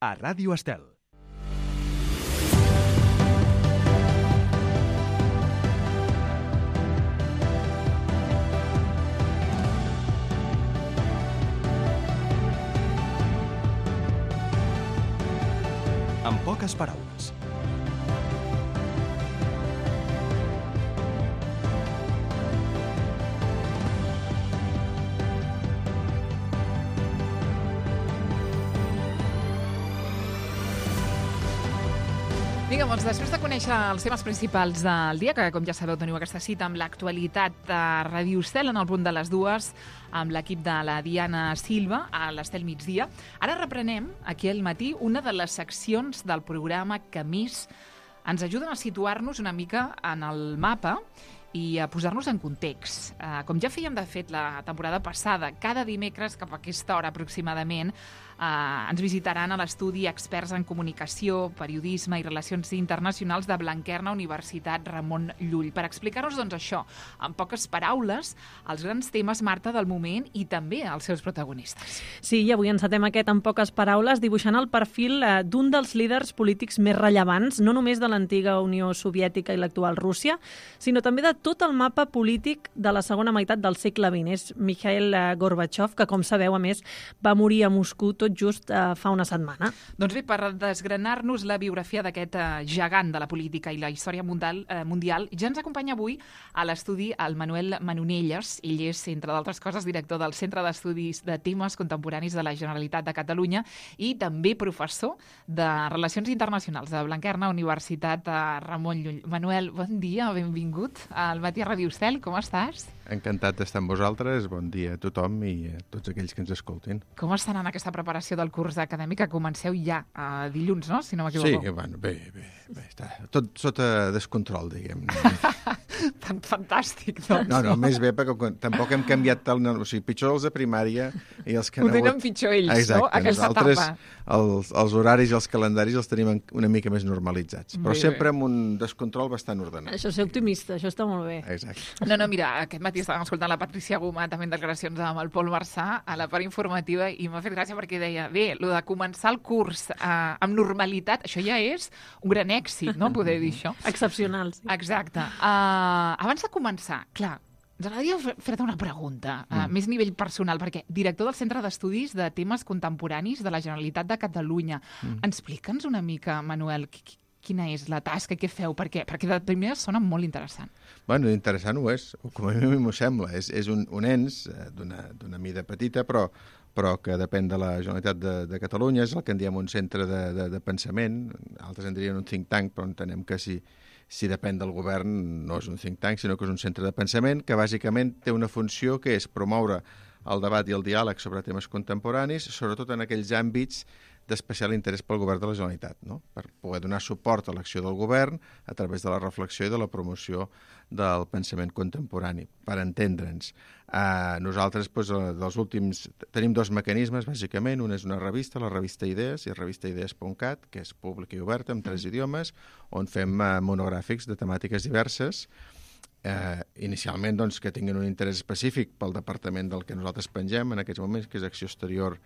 a Ràdio Estel. En poques paraules. Vinga, doncs després de conèixer els temes principals del dia, que com ja sabeu teniu aquesta cita amb l'actualitat de Ràdio Estel en el punt de les 2, amb l'equip de la Diana Silva a l'Estel Migdia. Ara reprenem aquí al matí una de les seccions del programa que més ens ajuden a situar-nos una mica en el mapa i a posar-nos en context. Com ja fèiem, de fet, la temporada passada, cada dimecres cap a aquesta hora aproximadament, ens visitaran a l'estudi experts en comunicació, periodisme i relacions internacionals de Blanquerna Universitat Ramon Llull, per explicar-nos doncs, això, en poques paraules, els grans temes, Marta, del moment i també els seus protagonistes. Sí, i avui encetem aquest en poques paraules dibuixant el perfil d'un dels líders polítics més rellevants, no només de l'antiga Unió Soviètica i l'actual Rússia, sinó també de tot el mapa polític de la segona meitat del segle XX. És Mikhail Gorbachev, que, com sabeu, a més, va morir a Moscou tot just fa una setmana. Doncs bé, per desgranar-nos la biografia d'aquest gegant de la política i la història mundial, ja ens acompanya avui a l'estudi el Manuel Manonelles. Ell és, entre d'altres coses, director del Centre d'Estudis de Temes Contemporanis de la Generalitat de Catalunya i també professor de Relacions Internacionals de Blanquerna Universitat Ramon Llull. Manuel, bon dia, benvingut al Matí a Ràdio Estel, com estàs? Encantat d'estar amb vosaltres, bon dia a tothom i a tots aquells que ens escoltin. Com estan en aquesta preparació del curs acadèmic que comenceu ja dilluns, no?, si no m'equivoco. Sí, bueno, bé, està tot sota descontrol, diguem. Fantàstic, doncs. No, més bé, perquè tampoc hem canviat tant, o sigui, pitjor els de primària i els que ho tenen pitjor ells, exacte, no?, aquesta etapa. Els horaris i els calendaris els tenim una mica més normalitzats, però bé, sempre amb un descontrol bastant ordenat. Això és ser optimista, això està molt bé. Exacte. No, mira, aquest matí estàvem escoltant la Patricia Guma, també en declaracions amb el Pol Marçà, a la part informativa, i m'ha fet gràcia perquè deia, bé, lo de començar el curs amb normalitat, això ja és un gran èxit, no?, poder dir això. Excepcional, sí. Exacte. Abans de començar, clar, ens agradaria fer-te una pregunta, més a nivell personal, perquè director del Centre d'Estudis de Temes Contemporanis de la Generalitat de Catalunya. Explica'ns una mica, Manuel, quina és la tasca, què feu? Perquè de primer sona molt interessant. Bueno, interessant ho és, o com a mi m'ho sembla. És un ens d'una mida petita, però que depèn de la Generalitat de Catalunya, és el que en diem un centre de pensament, altres en dirien un think tank, però entenem que si depèn del govern no és un think tank, sinó que és un centre de pensament que bàsicament té una funció que és promoure el debat i el diàleg sobre temes contemporanis, sobretot en aquells àmbits d'especial interès pel govern de la Generalitat, no? Per poder donar suport a l'acció del govern a través de la reflexió i de la promoció del pensament contemporani, per entendre'ns. Nosaltres, dels últims, tenim dos mecanismes, bàsicament. Un és una revista, la revista Idees, i revistaidees.cat, que és pública i oberta, amb 3 idiomes, on fem monogràfics de temàtiques diverses, inicialment doncs, que tinguin un interès específic pel departament del que nosaltres pengem en aquests moments, que és Acció Exterior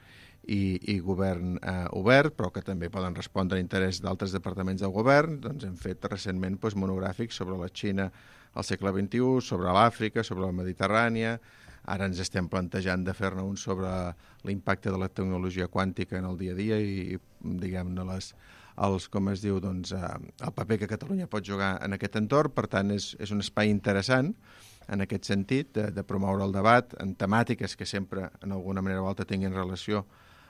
i Govern Obert, però que també poden respondre a interès d'altres departaments del govern. Doncs hem fet recentment monogràfics sobre la Xina al segle XXI, sobre l'Àfrica, sobre la Mediterrània. Ara ens estem plantejant de fer-ne un sobre l'impacte de la tecnologia quàntica en el dia a dia i diguem-ne el paper que Catalunya pot jugar en aquest entorn. Per tant, és un espai interessant en aquest sentit, de promoure el debat en temàtiques que sempre, en alguna manera o altra, tinguin relació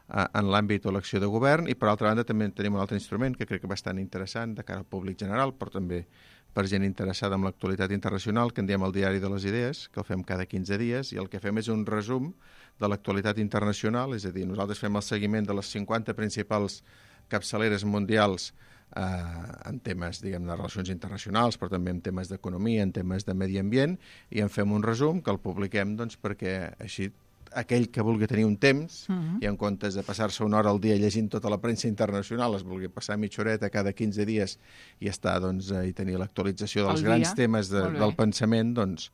en l'àmbit o l'acció de govern, i per altra banda també tenim un altre instrument que crec que és bastant interessant de cara al públic general, però també per gent interessada en l'actualitat internacional, que en diem el Diari de les Idees, que el fem cada 15 dies, i el que fem és un resum de l'actualitat internacional, és a dir, nosaltres fem el seguiment de les 50 principals capçaleres mundials en temes, diguem, de relacions internacionals, però també en temes d'economia, en temes de medi ambient, i en fem un resum que el publiquem doncs, perquè així aquell que vulgui tenir un temps i en comptes de passar-se una hora al dia llegint tota la premsa internacional, es vulgui passar mitja horeta cada 15 dies i estar, doncs, i tenir l'actualització dels grans temes del pensament, doncs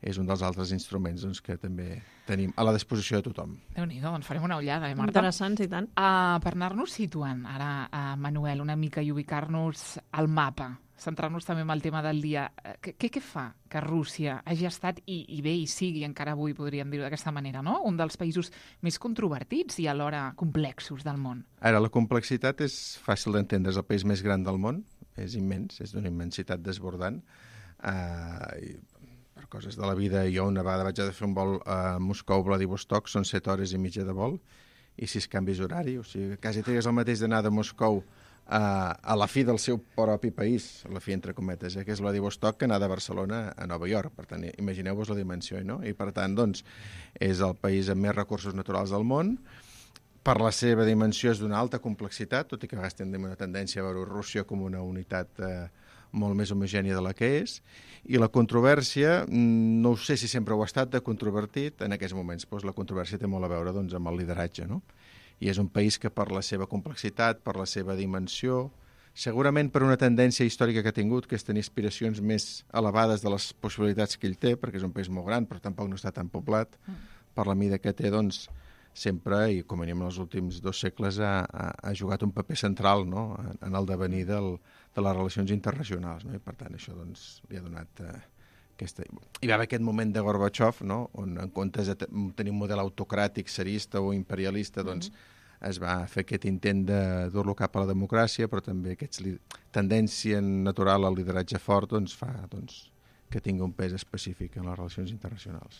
és un dels altres instruments doncs, que també tenim a la disposició de tothom. Déu-n'hi-do, doncs farem una ullada, Marta? Interessants, i tant. Per anar-nos situant ara, Manuel, una mica i ubicar-nos al mapa, centrar-nos també en el tema del dia. Què fa que Rússia hagi estat, i bé, i sigui encara avui, podríem dir-ho d'aquesta manera, no? Un dels països més controvertits i alhora complexos del món? Ara, la complexitat és fàcil d'entendre. És el país més gran del món, és immens, és d'una immensitat desbordant. Per coses de la vida, jo una vegada vaig haver de fer un vol a Moscou-Vladivostok, són 7 hores i mitja de vol i 6 canvis horari, o sigui, quasi trigues el mateix d'anar de Moscou a la fi del seu propi país, a la fi entre cometes, que és Vladivostok, que anar de Barcelona a Nova York. Per tant, imagineu-vos la dimensió, no? I per tant, doncs, és el país amb més recursos naturals del món. Per la seva dimensió és d'una alta complexitat, tot i que a vegades tenim una tendència a veure Rússia com una unitat molt més homogènia de la que és, i la controvèrsia, no sé si sempre ho ha estat de controvertit, en aquests moments doncs, la controvèrsia té molt a veure doncs, amb el lideratge, no? I és un país que per la seva complexitat, per la seva dimensió, segurament per una tendència històrica que ha tingut, que és tenir aspiracions més elevades de les possibilitats que ell té, perquè és un país molt gran, però tampoc no està tan poblat, per la mida que té, doncs, sempre, i com a mínim en els últims 2 segles, ha jugat un paper central, no?, en el devenir de les relacions internacionals, no? I per tant això doncs, li ha donat aquesta... Hi va haver aquest moment de Gorbachev, no?, on en comptes de tenir un model autocràtic, tsarista o imperialista, doncs es va fer aquest intent de dur-lo cap a la democràcia, però també aquesta tendència natural al lideratge fort doncs, fa que tingui un pes específic en les relacions internacionals.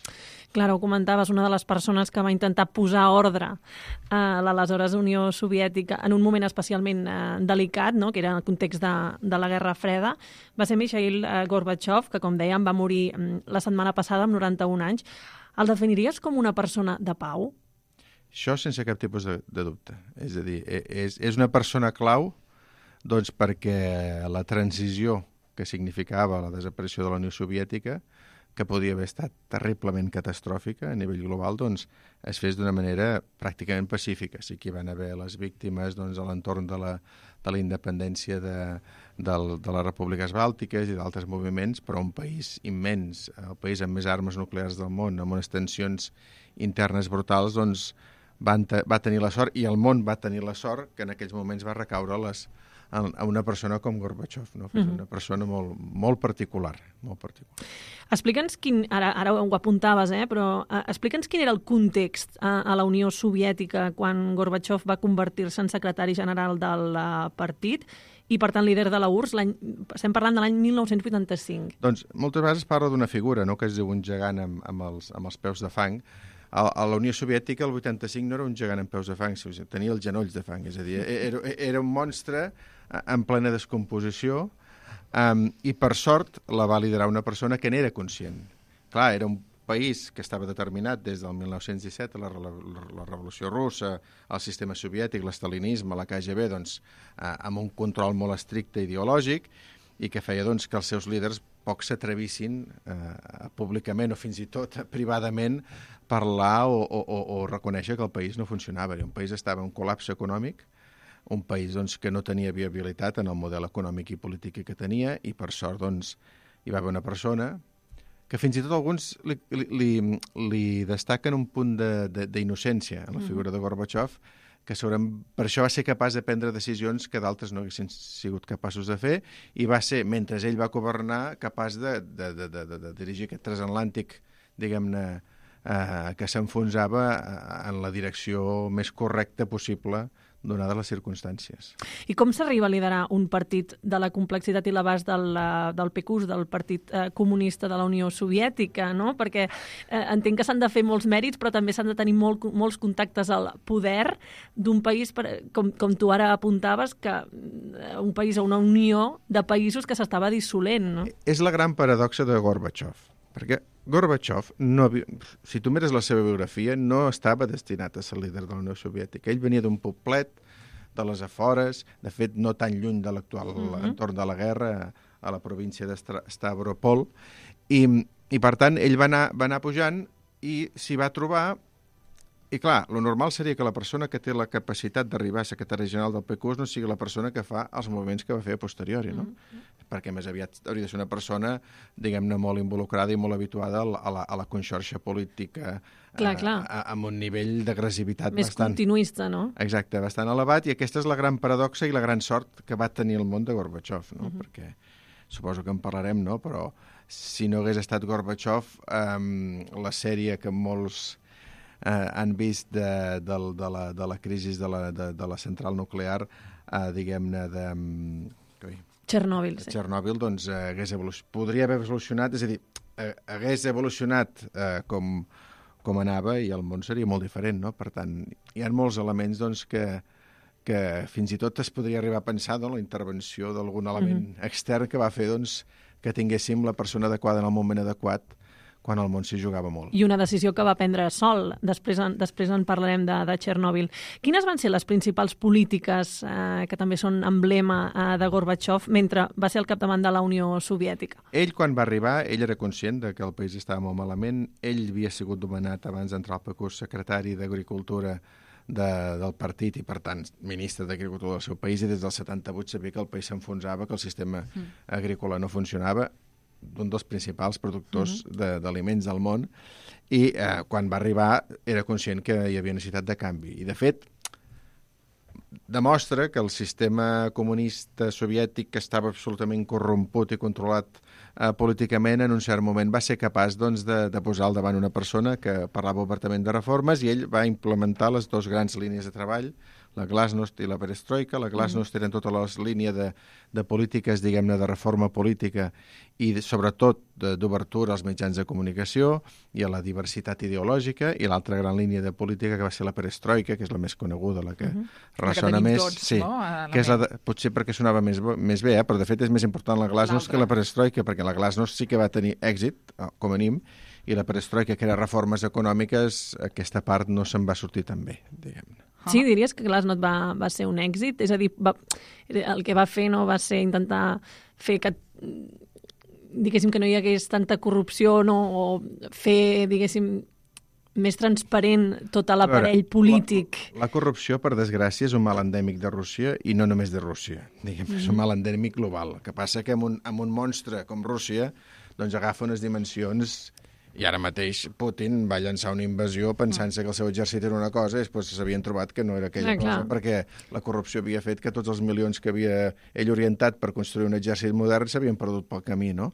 Clar, ho comentaves, una de les persones que va intentar posar ordre a l'aleshores Unió Soviètica en un moment especialment delicat, no?, que era en el context de la Guerra Freda, va ser Mikhail Gorbachev, que, com dèiem, va morir la setmana passada amb 91 anys. El definiries com una persona de pau? Això sense cap tipus de dubte. És a dir, és una persona clau doncs, perquè la transició que significava la desaparició de la Unió Soviètica, que podia haver estat terriblement catastròfica a nivell global, doncs es fes d'una manera pràcticament pacífica. Sí que hi van haver les víctimes doncs, a l'entorn de la independència de les repúbliques bàltiques i d'altres moviments, però un país immens, el país amb més armes nuclears del món, amb unes tensions internes brutals, doncs va tenir la sort, i el món va tenir la sort, que en aquells moments va recaure a una persona com Gorbachev, no? Que és una persona molt particular, molt particular. Explica'ns ara ho apuntaves, però explica'ns quin era el context a la Unió Soviètica quan Gorbachev va convertir-se en secretari general del partit i, per tant, líder de la URSS. Estem parlant de l'any 1985. Doncs moltes vegades es parla d'una figura, no?, que es diu un gegant amb els peus de fang. A la Unió Soviètica, el 85, no era un gegant amb peus de fang, tenia els genolls de fang, és a dir, era un monstre en plena descomposició, i per sort la va liderar una persona que n'era conscient. Clar, era un país que estava determinat des del 1917, la Revolució Russa, el sistema soviètic, l'estalinisme, la KGB, doncs, amb un control molt estricte ideològic, i que feia doncs, que els seus líders poc s'atrevissin públicament o fins i tot privadament parlar o reconèixer que el país no funcionava. Un país estava en col·lapse econòmic, un país doncs, que no tenia viabilitat en el model econòmic i polític que tenia, i per sort doncs, hi va haver una persona que fins i tot alguns li destaquen un punt d'innocència en la figura de Gorbachev, que per això va ser capaç de prendre decisions que d'altres no haguessin sigut capaços de fer, i va ser, mentre ell va governar, capaç de dirigir aquest transatlàntic, diguem-ne, que s'enfonsava en la direcció més correcta possible donades les circumstàncies. I com s'arriba a liderar un partit de la complexitat i l'abast del PQS, del Partit Comunista de la Unió Soviètica, no? Perquè entenc que s'han de fer molts mèrits, però també s'han de tenir molts contactes al poder d'un país, com tu ara apuntaves, que un país o una unió de països que s'estava dissolent, no? És la gran paradoxa de Gorbachev, perquè Gorbachev, si tu mires la seva biografia, no estava destinat a ser líder de la Unió Soviètica. Ell venia d'un poblet de les afores, de fet no tan lluny de l'actual entorn de la guerra, a la província de Stavropol, i per tant ell va anar pujant i s'hi va trobar I clar, lo normal seria que la persona que té la capacitat d'arribar a secretari general del PQUS no sigui la persona que fa els moviments que va fer a posteriori, no? Perquè més aviat hauria de ser una persona, diguem-ne, molt involucrada i molt habituada a la conxorxa política, clar. amb un nivell d'agressivitat Més bastant... continuista, no? Exacte, bastant elevat, i aquesta és la gran paradoxa i la gran sort que va tenir el món de Gorbachev, no? Perquè suposo que en parlarem, no? Però si no hagués estat Gorbachev, la sèrie que molts han vist de la crisi de la central nuclear, diguem-ne, de Txernòbil, sí. Txernòbil, doncs podria haver evolucionat, és a dir, hagués evolucionat com anava i el món seria molt diferent, no? Per tant, hi ha molts elements doncs, que fins i tot es podria arribar a pensar la intervenció d'algun element extern que va fer doncs, que tinguéssim la persona adequada en el moment adequat quan el món s'hi jugava molt. I una decisió que va prendre sol. Després en parlarem de Txernòbil. Quines van ser les principals polítiques que també són emblema de Gorbachev mentre va ser al capdavant de la Unió Soviètica? Ell, quan va arribar, ell era conscient de que el país estava molt malament. Ell havia sigut nomenat abans d'entrar al PQUS secretari d'Agricultura del partit i, per tant, ministre d'Agricultura del seu país, i des del 78 sabia que el país s'enfonsava, que el sistema agrícola no funcionava, d'un dels principals productors d'aliments del món, i quan va arribar era conscient que hi havia necessitat de canvi. I, de fet, demostra que el sistema comunista soviètic, que estava absolutament corromput i controlat políticament, en un cert moment va ser capaç doncs, de posar al davant una persona que parlava obertament de reformes, i ell va implementar les dues grans línies de treball, la Glasnost i la Perestroika. La Glasnost eren tota la línia de polítiques, diguem-ne, de reforma política i sobretot d'obertura als mitjans de comunicació i a la diversitat ideològica, i l'altra gran línia de política que va ser la Perestroika, que és la més coneguda, la que ressona més. Tots, sí, no? Que és potser perquè sonava més bé, però de fet és més important la Glasnost que la Perestroika, perquè la Glasnost sí que va tenir èxit, com a mínim, i la Perestroika, que era reformes econòmiques, aquesta part no se'n va sortir tan bé, diguem-ne. Sí, diries que Glasnost va ser un èxit? És a dir, el que va fer no va ser intentar fer que, diguéssim, que no hi hagués tanta corrupció, no? O fer, diguéssim, més transparent tot l'aparell polític. La corrupció, per desgràcia, és un mal endèmic de Rússia, i no només de Rússia. És un mal endèmic global. El que passa que amb un monstre com Rússia doncs agafa unes dimensions. I ara mateix Putin va llançar una invasió pensant-se que el seu exèrcit era una cosa i després s'havien trobat que no era aquella cosa, perquè la corrupció havia fet que tots els milions que havia ell orientat per construir un exèrcit modern s'havien perdut pel camí, no?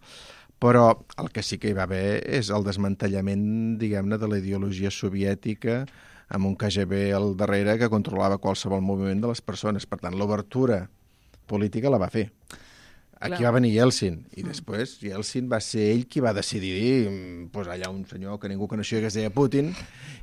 Però el que sí que hi va haver és el desmantellament, diguem-ne, de la ideologia soviètica amb un KGB al darrere que controlava qualsevol moviment de les persones. Per tant, l'obertura política la va fer. Aquí va venir Yeltsin, i després Yeltsin va ser ell qui va decidir posar allà un senyor que ningú coneixia que es deia Putin,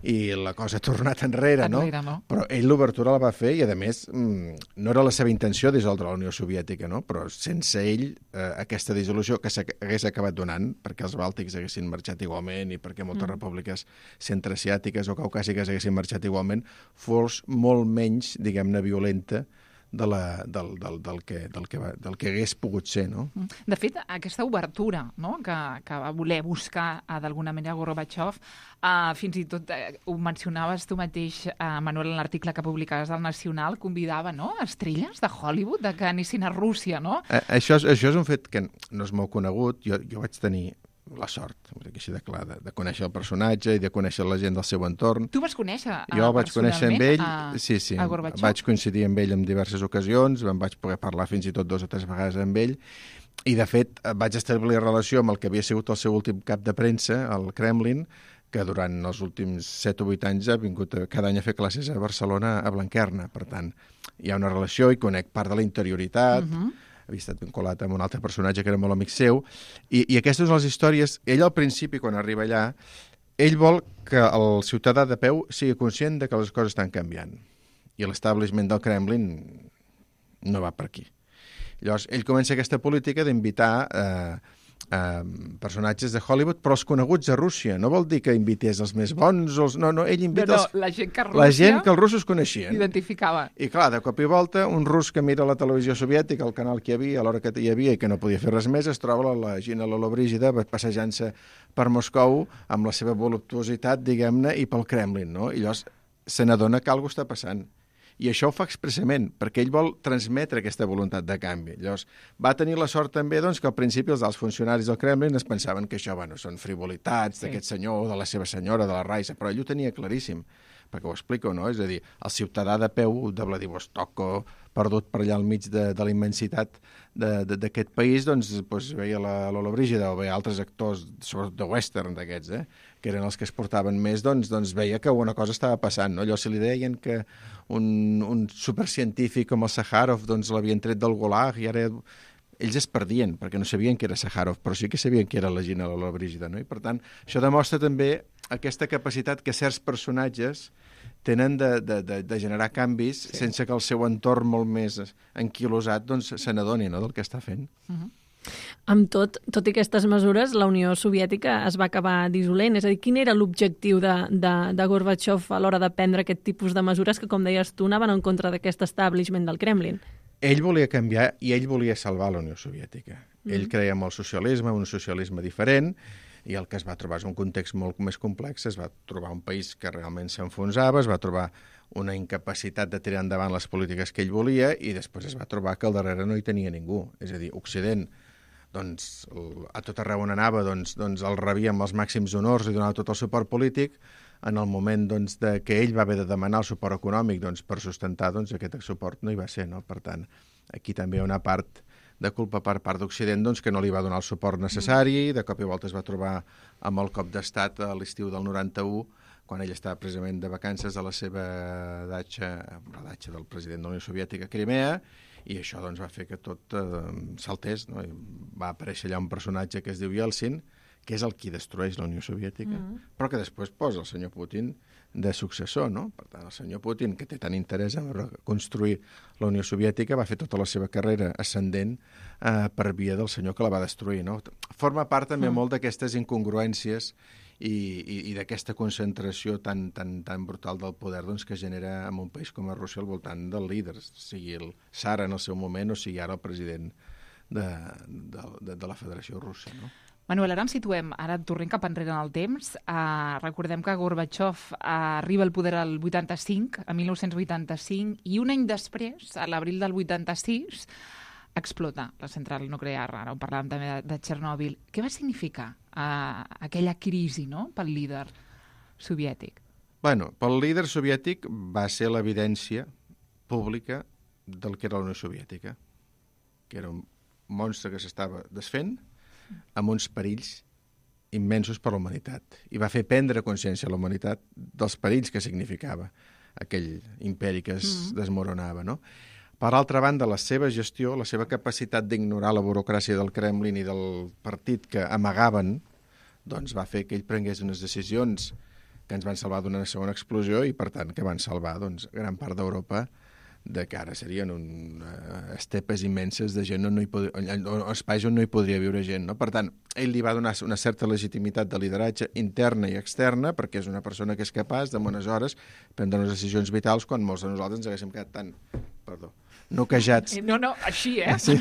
i la cosa ha tornat enrere, no? Però ell l'obertura la va fer, i a més no era la seva intenció dissoldre la Unió Soviètica, no? Però sense ell aquesta dissolució, que s'hagués acabat donant perquè els bàltics haguessin marxat igualment i perquè moltes repúbliques centreasiàtiques o caucàsiques haguessin marxat igualment, fos molt menys, diguem-ne, violenta del que hagués pogut ser, no? De fet, aquesta obertura, no?, que va voler buscar d'alguna manera Gorbachev, fins i tot ho mencionaves tu mateix, Manuel, en l'article que publicaves del Nacional, convidava, no?, estrelles de Hollywood que anessin a Rússia, no? Això és un fet que no és molt conegut. Jo vaig tenir la sort, així de clar, de conèixer el personatge i de conèixer la gent del seu entorn. Tu vas conèixer Jo vaig conèixer amb ell, sí, a Gorbachev? Vaig coincidir amb ell en diverses ocasions, em vaig poder parlar fins i tot 2 o 3 vegades amb ell, i de fet vaig establir relació amb el que havia sigut el seu últim cap de premsa, al Kremlin, que durant els últims 7 o 8 anys ha vingut cada any a fer classes a Barcelona, a Blanquerna. Per tant, hi ha una relació i conec part de la interioritat, havia estat vinculat amb un altre personatge que era molt amic seu, i aquestes són les històries. Ell al principi, quan arriba allà, ell vol que el ciutadà de peu sigui conscient de que les coses estan canviant, i l'establishment del Kremlin no va per aquí. Llavors, ell comença aquesta política d'invitar personatges de Hollywood, però els coneguts a Rússia. No vol dir que invités els més bons, no, ell invita la gent que la gent que els russos coneixien. Identificava. I clar, de cop i volta, un rus que mira la televisió soviètica, el canal que hi havia, a l'hora que hi havia i que no podia fer res més, es troba la Gina Lollobrigida passejant-se per Moscou amb la seva voluptuositat, diguem-ne, i pel Kremlin, no? I llavors se n'adona que alguna cosa està passant. I això ho fa expressament, perquè ell vol transmetre aquesta voluntat de canvi. Llavors, va tenir la sort també doncs, que al principi els alts funcionaris del Kremlin es pensaven que això són frivolitats d'aquest senyor o de la seva senyora, de la Raisa, però ell ho tenia claríssim, perquè ho explico, no? És a dir, el ciutadà de peu de Vladivostok o perdut per allà al mig de la immensitat d'aquest país, doncs veia la Lola Brígida o veia altres actors, sobretot de western d'aquests, que eren els que es portaven més, doncs veia que una cosa estava passant, no? Allò, si li deien que un supercientífic com el Sàjarov doncs l'havien tret del Gulag i ara ells es perdien, perquè no sabien que era Sàjarov, però sí que sabien que era la Gina Lola Brígida, no? I per tant, això demostra també aquesta capacitat que certs personatges tenen de generar canvis sense que el seu entorn molt més enquilosat doncs, se n'adoni, no?, del que està fent. Amb tot i aquestes mesures, la Unió Soviètica es va acabar dissolent. És a dir, quin era l'objectiu de Gorbachev a l'hora de prendre aquest tipus de mesures que, com deies tu, anaven en contra d'aquest establishment del Kremlin? Ell volia canviar i ell volia salvar la Unió Soviètica. Ell creia en el socialisme, un socialisme diferent, i el que es va trobar és un context molt més complex. Es va trobar un país que realment s'enfonsava, es va trobar una incapacitat de tirar endavant les polítiques que ell volia i després es va trobar que al darrere no hi tenia ningú. És a dir, Occident, doncs, a tot arreu on anava, doncs el rebia amb els màxims honors i donava tot el suport polític. En el moment doncs, que ell va haver de demanar el suport econòmic doncs, per sustentar, doncs, aquest suport no hi va ser. No? Per tant, aquí també hi ha una part de culpa per part d'Occident doncs, que no li va donar el suport necessari, de cop i volta es va trobar amb el cop d'estat a l'estiu del 91, quan ell estava precisament de vacances a la seva datxa, la datxa del president de la Unió Soviètica a Crimea, i això doncs, va fer que tot saltés. No? I va aparèixer allà un personatge que es diu Yeltsin, que és el qui destrueix la Unió Soviètica, però que després posa el senyor Putin de successor, no? Per tant, el senyor Putin, que té tant interès en reconstruir la Unió Soviètica, va fer tota la seva carrera ascendent per via del senyor que la va destruir, no? Forma part també molt d'aquestes incongruències i d'aquesta concentració tan brutal del poder doncs, que genera en un país com a Rússia al voltant del líder, sigui el tsar en el seu moment o sigui ara el president de la Federació Russa, no? Manuel, ara ens situem, ara tornem cap enrere en el temps. Recordem que Gorbachev arriba al poder al 85, a 1985, i un any després, a l'abril del 86, explota la central nuclear. Ara ho parlàvem també de Txernòbil. Què va significar aquella crisi, no?, pel líder soviètic? Bueno, pel líder soviètic va ser l'evidència pública del que era la Unió Soviètica, que era un monstre que s'estava desfent, amb uns perills immensos per a la humanitat. I va fer prendre consciència a la humanitat dels perills que significava aquell imperi que es desmoronava, no? Per altra banda, la seva gestió, la seva capacitat d'ignorar la burocràcia del Kremlin i del partit que amagaven, doncs va fer que ell prengués unes decisions que ens van salvar d'una segona explosió i, per tant, que van salvar doncs, gran part d'Europa de que ara serien estepes immenses de gent espais on no hi podria viure gent. No? Per tant, ell li va donar una certa legitimitat de lideratge interna i externa perquè és una persona que és capaç de bones hores prendre unes decisions vitals quan molts de nosaltres ens haguéssim quedat tan noquejats. No, així, Sí.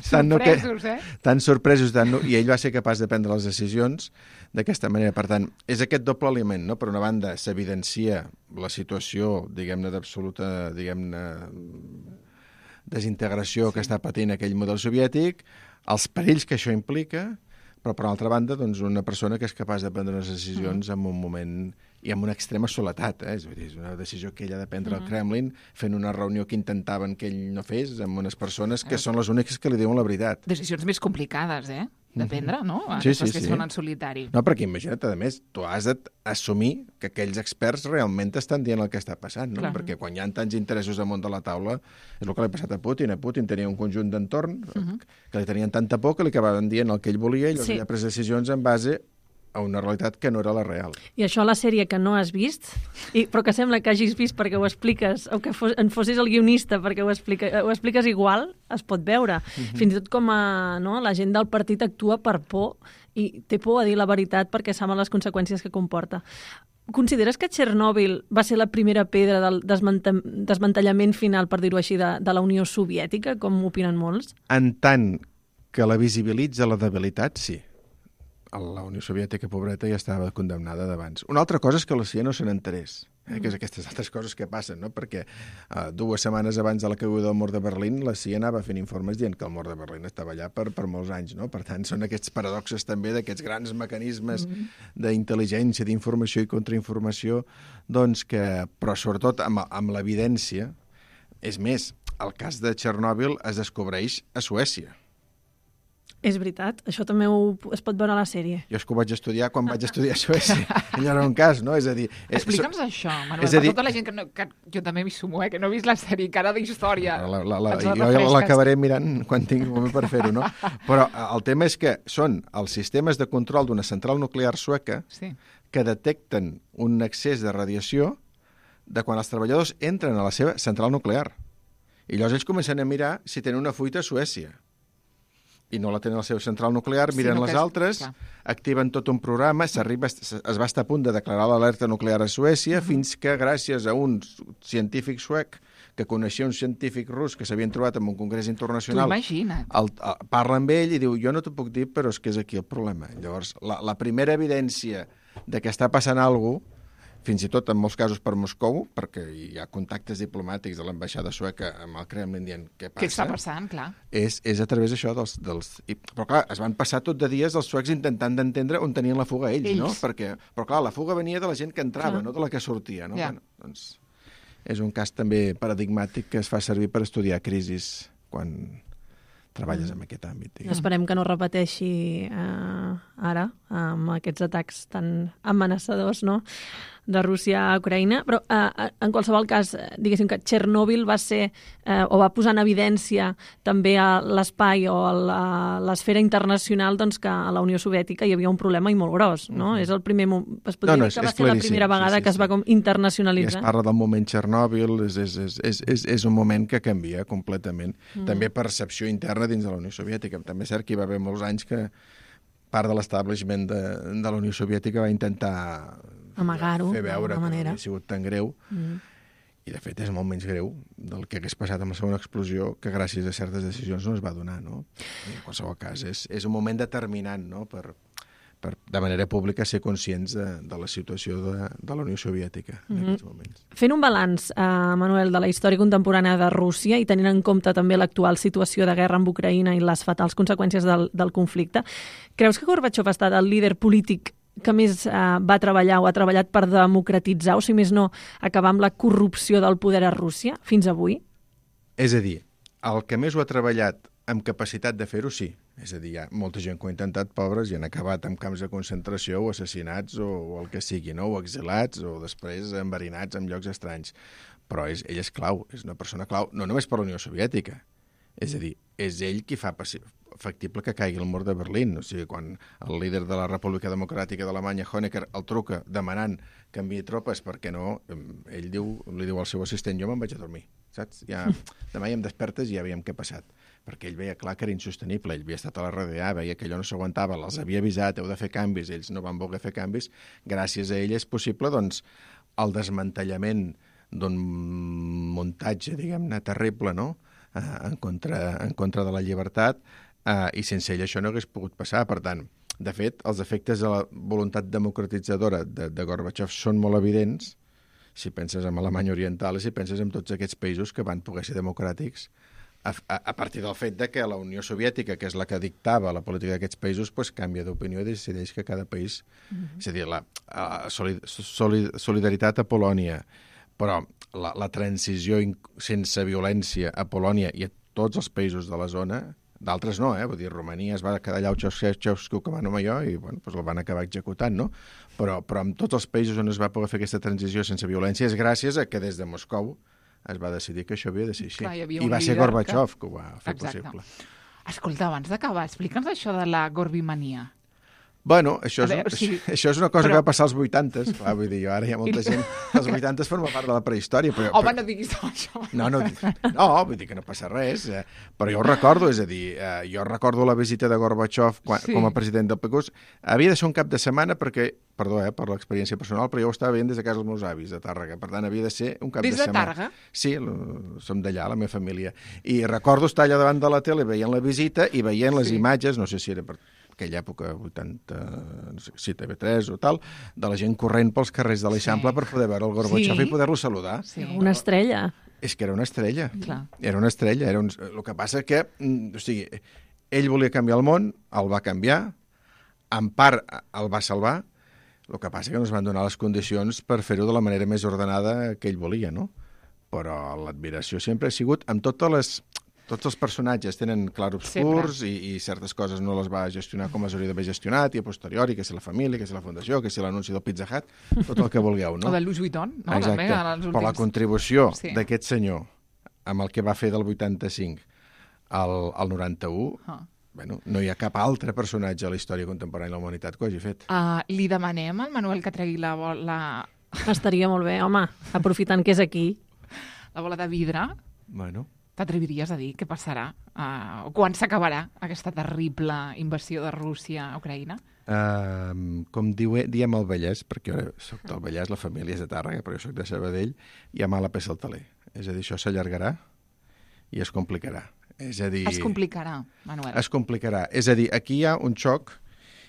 Sorpresos, Tan sorpresos. I ell va ser capaç de prendre les decisions d'aquesta manera. Per tant, és aquest doble element, no? Per una banda, s'evidencia la situació, diguem-ne, d'absoluta, desintegració que està patint aquell model soviètic, els perills que això implica, però, per altra banda, doncs, una persona que és capaç de prendre unes decisions en un moment i amb una extrema soledat. És una decisió que ell ha de prendre al Kremlin, fent una reunió que intentaven que ell no fes, amb unes persones que són les úniques que li diuen la veritat. Decisions més complicades, de prendre, no? Sí. Que són en solitari. No, perquè imagina't, a més, tu has d'assumir que aquells experts realment t'estan dient el que està passant, no? Clar. Perquè quan hi ha tants interessos damunt de la taula, és el que li ha passat a Putin. A Putin tenia un conjunt d'entorn que li tenien tanta por que li acabaven dient el que ell volia i llavors ell ha pres decisions en base a una realitat que no era la real. I això a la sèrie que no has vist, però que sembla que hagis vist perquè ho expliques, o que en fossis el guionista perquè ho expliques igual, es pot veure. Fins i tot com la gent del partit actua per por i té por a dir la veritat perquè saben les conseqüències que comporta. Consideres que Txernòbil va ser la primera pedra del desmantellament final, per dir-ho així, de la Unió Soviètica, com opinen molts? En tant que la visibilitza la debilitat, sí. La Unió Soviètica, pobreta, ja estava condemnada d'abans. Una altra cosa és que la CIA no se n'enterés. que és aquestes altres coses que passen, no? Perquè 2 setmanes abans de la caiguda del mur de Berlín, la CIA anava fent informes dient que el mur de Berlín estava allà per molts anys, no? Per tant, són aquests paradoxes també d'aquests grans mecanismes d'intel·ligència, d'informació i contrainformació, doncs però sobretot amb l'evidència. És més, el cas de Txernòbil es descobreix a Suècia. És veritat, això també es pot veure a la sèrie. Jo és que ho vaig estudiar quan vaig estudiar a Suècia. Allò era un cas, no? És a dir... Explica'ns això, Manuel, per tota la gent que jo també m'hi sumo, que no he vist la sèrie, cara d'història. Jo l'acabaré mirant quan tingui moment per fer-ho, no? Però el tema és que són els sistemes de control d'una central nuclear sueca que detecten un excés de radiació de quan els treballadors entren a la seva central nuclear. I llavors ells comencen a mirar si tenen una fuita a Suècia. I no la tenen a la seva central nuclear, miren les altres, activen tot un programa, es va estar a punt de declarar l'alerta nuclear a Suècia, fins que gràcies a un científic suec que coneixia un científic rus que s'havien trobat en un congrés internacional, parla amb ell i diu, jo no t'ho puc dir, però és que és aquí el problema. Llavors, la primera evidència de que està passant alguna cosa, fins i tot en molts casos per Moscou, perquè hi ha contactes diplomàtics de l'ambaixada sueca amb el Kremlin dient què passa. Què està passant, clar. És a través d'això Però clar, es van passar tot de dies els suecs intentant d'entendre on tenien la fuga ells. No? Però clar, la fuga venia de la gent que entrava, no de la que sortia. No? Bueno, doncs, és un cas també paradigmàtic que es fa servir per estudiar crisis quan treballes en aquest àmbit. Esperem que no repeteixi ara amb aquests atacs tan amenaçadors, no?, de Rússia a Ucraïna, però en qualsevol cas, diguéssim que Txernòbil va ser o va posar en evidència també a l'espai o a l'esfera internacional doncs, que a la Unió Soviètica hi havia un problema i molt gros, no? És el primer, es pot dir que va ser la primera vegada que es va com internacionalitzar. I es parla del moment Txernòbil, és un moment que canvia completament. També percepció interna dins de la Unió Soviètica. També és cert que hi va haver molts anys que part de l'establishment de la Unió Soviètica va intentar amagar-ho, fer veure que no havia sigut tan greu. I, de fet, és molt menys greu del que hagués passat amb la segona explosió, que gràcies a certes decisions no es va donar, no? I, en qualsevol cas, és un moment determinant, no?, per de manera pública ser conscients de la situació de la Unió Soviètica en aquests moments. Fent un balanç, Manuel, de la història contemporània de Rússia i tenint en compte també l'actual situació de guerra amb Ucraïna i les fatals conseqüències del conflicte, creus que Gorbachev ha estat el líder polític que més va treballar o ha treballat per democratitzar, o si més no, acabar amb la corrupció del poder a Rússia fins avui? És a dir, el que més ho ha treballat amb capacitat de fer-ho, sí. És a dir, hi ha molta gent que ho ha intentat, pobres, i han acabat en camps de concentració o assassinats o el que sigui, no? O exilats o després enverinats en llocs estranys. Però ell és clau, és una persona clau, no només per la Unió Soviètica. És a dir, és ell qui fa factible que caigui el mur de Berlín. O sigui, quan el líder de la República Democràtica d'Alemanya, Honecker, el truca demanant que enviï tropes perquè no, ell li diu al seu assistent, jo me'n vaig a dormir, saps? Demà ja em despertes i ja veiem què ha passat. Perquè ell veia clar que era insostenible, ell havia estat a la RDA, veia que allò no s'aguantava, els havia avisat, heu de fer canvis, ells no van voler fer canvis, gràcies a ell és possible, doncs, el desmantellament d'un muntatge, diguem-ne, terrible, no?, en contra de la llibertat, i sense ell això no hagués pogut passar. Per tant, de fet, els efectes de la voluntat democratitzadora de Gorbachev són molt evidents, si penses en Alemanya Oriental i si penses en tots aquests països que van poder ser democràtics a partir del fet de que la Unió Soviètica, que és la que dictava la política d'aquests països, pues, canvia d'opinió i decideix que cada país... És a dir, la solidaritat a Polònia, però la transició sense violència a Polònia i a tots els països de la zona, d'altres no, vull dir, Romania es va quedar allà Ceausescu que va nomenar jo i bueno, pues el van acabar executant, no? Però en tots els països on es va poder fer aquesta transició sense violència és gràcies a que des de Moscou es va decidir que això havia de ser així. Clar, i va ser Gorbachev que ho va fer possible. Escolta, abans d'acabar, explica'ns això de la gorbimania. Bueno, això és una cosa que va passar als 80s. Clar, vull dir, ara hi ha molta gent... Els 80s forma part de la prehistòria. Home, no diguis això. No, vull dir que no passa res. Però jo ho recordo, és a dir, jo recordo la visita de Gorbachev com a president del PQS. Havia de ser un cap de setmana perquè, perdó, per l'experiència personal, però jo ho estava veient des de casa dels meus avis, de Tàrrega. Per tant, havia de ser un cap de setmana. Des de Tàrrega? Sí, som d'allà, la meva família. I recordo estar allà davant de la tele veient la visita i veient les imatges, no sé si era per aquella època, 80, no sé, sí, TV3 o tal, de la gent corrent pels carrers de l'Eixample per poder veure el Gorbachev i poder-lo saludar. Sí. Una estrella. És que era una estrella. Clar. Era una estrella. El que passa que, o sigui, ell volia canviar el món, el va canviar, en part el va salvar, el que passa que no es van donar les condicions per fer-ho de la manera més ordenada que ell volia, no? Però l'admiració sempre ha sigut, amb tots els personatges tenen clarobscurs i certes coses no les va gestionar com les hauria d'haver gestionat, i a posteriori, que si la família, que si la fundació, que si l'anunci del Pizza Hut, tot el que vulgueu, no? O de Louis Vuitton, no? Exacte. També, però la contribució d'aquest senyor amb el que va fer del 85 al 91, bueno, no hi ha cap altre personatge a la història contemporània de la humanitat que ho hagi fet. Li demanem al Manuel que tregui la Estaria molt bé, home, aprofitant que és aquí. bola de vidre. Bueno. T'atreviries a dir què passarà? O quan s'acabarà aquesta terrible invasió de Rússia a Ucraïna? Com diem al Vallès, perquè jo soc del Vallès, la família és de Tàrrega, però jo soc de Sabadell, hi ha mala peça al taler. És a dir, això s'allargarà i es complicarà. És a dir... Es complicarà, Manuel. Es complicarà. És a dir, aquí hi ha un xoc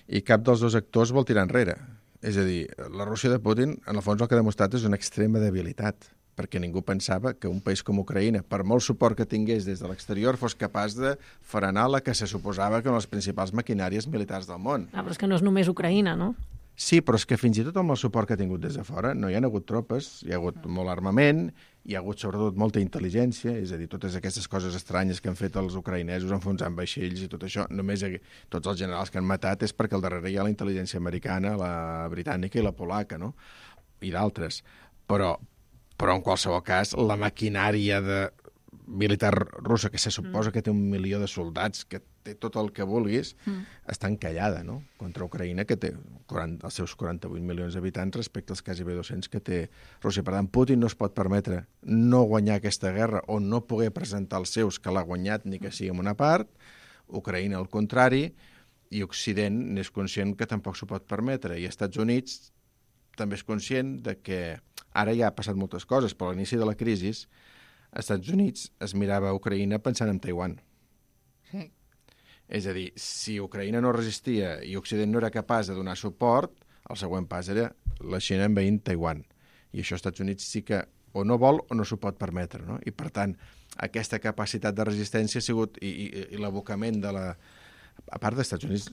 i cap dels dos actors vol tirar enrere. És a dir, la Rússia de Putin, en el fons el que ha demostrat és una extrema debilitat, perquè ningú pensava que un país com Ucraïna, per molt suport que tingués des de l'exterior, fos capaç de frenar la que se suposava que eren les principals maquinàries militars del món. Però és que no és només Ucraïna, no? Sí, però és que fins i tot amb el suport que ha tingut des de fora no hi ha hagut tropes, hi ha hagut molt armament, hi ha hagut sobretot molta intel·ligència, és a dir, totes aquestes coses estranyes que han fet els ucraïnesos enfonsant vaixells i tot això, només tots els generals que han matat és perquè al darrere hi ha la intel·ligència americana, la britànica i la polaca, no? I d'altres. Però en qualsevol cas, la maquinària militar russa, que se suposa que té 1 milió de soldats, que té tot el que vulguis, està encallada, no?, contra Ucraïna, que té els seus 48 milions d'habitants respecte als quasi 200 que té Rússia. Per tant, Putin no es pot permetre no guanyar aquesta guerra o no poder presentar els seus que l'ha guanyat ni que sigui en una part, Ucraïna al contrari, i Occident n'és conscient que tampoc s'ho pot permetre, i Estats Units també és conscient de que ara ja ha passat moltes coses, però a l'inici de la crisi, Estats Units es mirava a Ucraïna pensant en Taiwan. Sí. És a dir, si Ucraïna no resistia i Occident no era capaç de donar suport, el següent pas era la Xina envaint Taiwan. I això Estats Units sí que o no vol o no s'ho pot permetre, no? I, per tant, aquesta capacitat de resistència ha sigut, i l'abocament de la... A part dels Estats Units,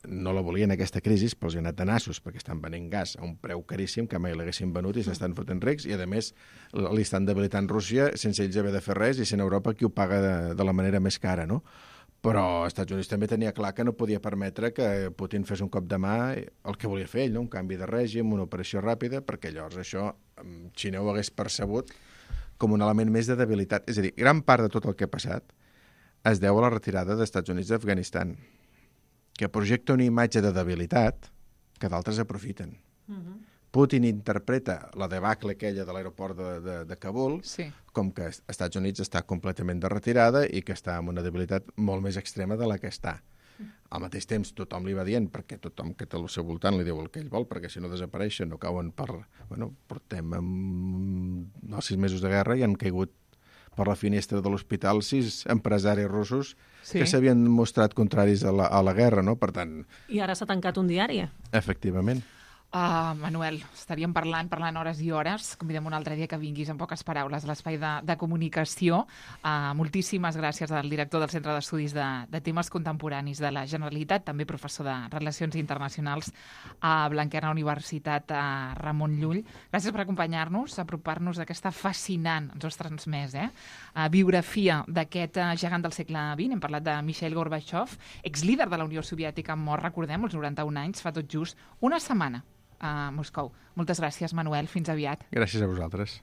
no la volien aquesta crisi, però els ha anat de nassos, perquè estan venent gas a un preu caríssim que mai l'haguessin venut i s'estan fotent rics, i a més li estan debilitant Rússia sense ells haver de fer res i sent Europa qui ho paga de la manera més cara, no? Però els Estats Units també tenia clar que no podia permetre que Putin fes un cop de mà el que volia fer ell, no? Un canvi de règim, una operació ràpida, perquè llavors això Xina ho hagués percebut com un element més de debilitat. És a dir, gran part de tot el que ha passat es deu a la retirada dels Estats Units d'Afganistan, que projecta una imatge de debilitat que d'altres aprofiten. Putin interpreta la debacle aquella de l'aeroport de Kabul com que els Estats Units està completament de retirada i que està amb una debilitat molt més extrema de la que està. Al mateix temps, tothom li va dient, perquè tothom que té al seu voltant li diu el que ell vol, perquè si no desapareixen, no cauen portem 6 mesos de guerra i han caigut per la finestra de l'hospital 6 empresaris russos que s'havien mostrat contraris a la guerra, no? Per tant... I ara s'ha tancat un diari. Efectivament. Manuel, estaríem parlant hores i hores. Convidem un altre dia que vinguis en poques paraules a l'espai de comunicació. Moltíssimes gràcies al director del Centre d'Estudis de Temes Contemporanis de la Generalitat, també professor de Relacions Internacionals a Blanquerna Universitat, Ramon Llull. Gràcies per acompanyar-nos, apropar-nos d'aquesta fascinant, ens ho has transmès, biografia d'aquest gegant del segle XX. Hem parlat de Mikhail Gorbachev, exlíder de la Unió Soviètica, mort, recordem, als 91 anys, fa tot just una setmana a Moscou. Moltes gràcies, Manuel. Fins aviat. Gràcies a vosaltres.